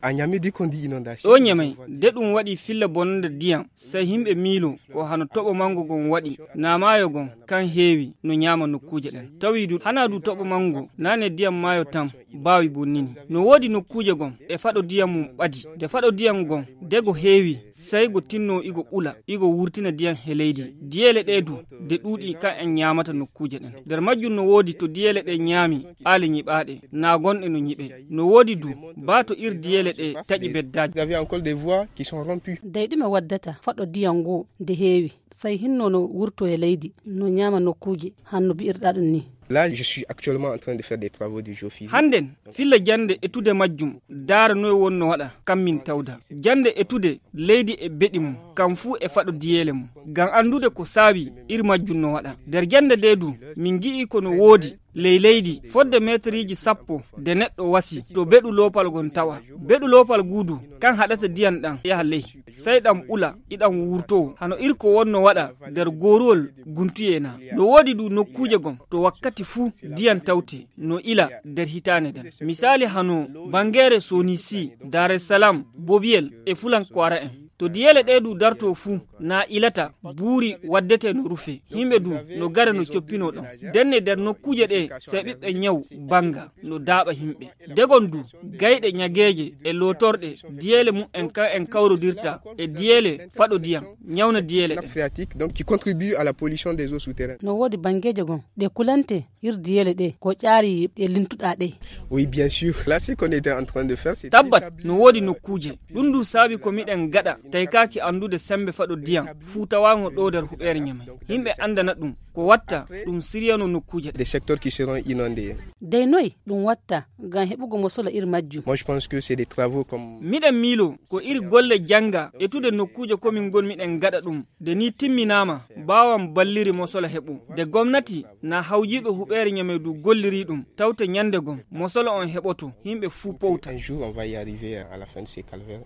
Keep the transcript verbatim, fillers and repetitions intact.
À Niamey, dès qu'on dit inondation, ɗo Ñamey, de ɗum waɗi filla bonande ndiyam, sey yimɓe miilo ko hano toɓo manngo ngon waɗi, naa maayo ngon kan heewi no ñaama nokkuuje ɗen. Tawi du hanaa du toɓo manngo, naane ndiyam maayo tan baawi bonnini. No woodi nokkuuje ngon e faɗo ndiyam mum ɓadi. Nde faɗo ndiyam ngon, de go heewi, sey go tinno igo ɓula, igo wurtina ndiyam he leydi. Diyeele ɗe du, de ɗuuɗi kan en ñaamata nokkuuje ɗen. Nder majjum no woodi to diyeele ɗe ñaami aale ñiɓaaɗe, naa gonɗe no ñiɓe. No woodi du, baa to ir diyeele ɗe taƴi beddaaji. Vous avez encore des voies qui sont rompues. Dey ɗume waddata faɗo ndiyam ngu nde heewi, sey hinno no wurto e leydi, no ñaama nokkuuje, hanno bi'irɗaa ɗum ni? Là, je suis actuellement en train de faire des travaux de géophysique. Hannden, filla jannde etude majjum, daara noy wonno waɗa, kam min tawda. Jannde etude leydi e beɗi mum, kam fuu e faɗo diyeele mum. Ngam anndude ko saawi ir majjum no waɗa. Nder jannde nde du, min ngi'i ko no woodi ley leydi fodde meeteriiji sappo de neɗɗo wasi to beɗu loopal ngon tawa. Beɗu loopal ngu du, kan haɗata ndiyam ɗam yaha ley. Sey ɗam ɓula, iɗam wurtoo, hano ir ko wonno waɗa nder gooruwol guntuyee na. No woodi du nokkuuje gon to wakkati fuu ndiyam tawte no ila nder hitaande nden. Misaali hano banngeere Sonisi, Dar es Salaam, Bobiyel e Fulankwara en. To diyeele ɗe du darto fuu, na ilata, buuri waddete no rufe. Yimɓe du no gara no coppinoo ɗon. Denne nder nokkuuje ɗe, sey ɓiɓɓe ñaw bannga no daaɓa yimɓe. Degon du, gayɗe ñageeje e lootorɗe, diyeele mum en kan en kawrodirta e diyeele faɗo ndiyam, ñawna diyeele Nappe ɗen. Phréatique, donc, qui contribue à la pollution des eaux souterraines. No woodi banngeeje gon ɗe kulante ir diyeele ɗe, ko ƴaari ɗe lintuɗaa ɗe. Oui, bien sûr. Là, ce qu'on était en train de faire, c'est Tabbat, no woodi nokkuuje. Ɗum du saabi ko miɗen gaɗa, taykaaki anndude sembe faɗo ndiyam, fuu tawaango ɗo nder huɓeere Ñamey. Yimɓe anndana ɗum, ko watta, ɗum siryano nokkuuje ɗe. Des secteurs qui seront inondés. Dey noy ɗum watta ngam heɓugo mosola ir majjum? Moi, je pense que c'est des travaux comme Miɗen miilo, ko iri golle jannga, etude nokkuuje ko min ngon miɗen gaɗa ɗum. Nde ni timminaama, mbaawan balliri mosola heɓo. Nde gomnati, na hawjiiɓe huɓeere Ñamey du golliri ɗum, tawte ñande gom, mosola on heɓoto, yimɓe fuu powta. Un jour, on va y arriver à la fin de ces calvaires.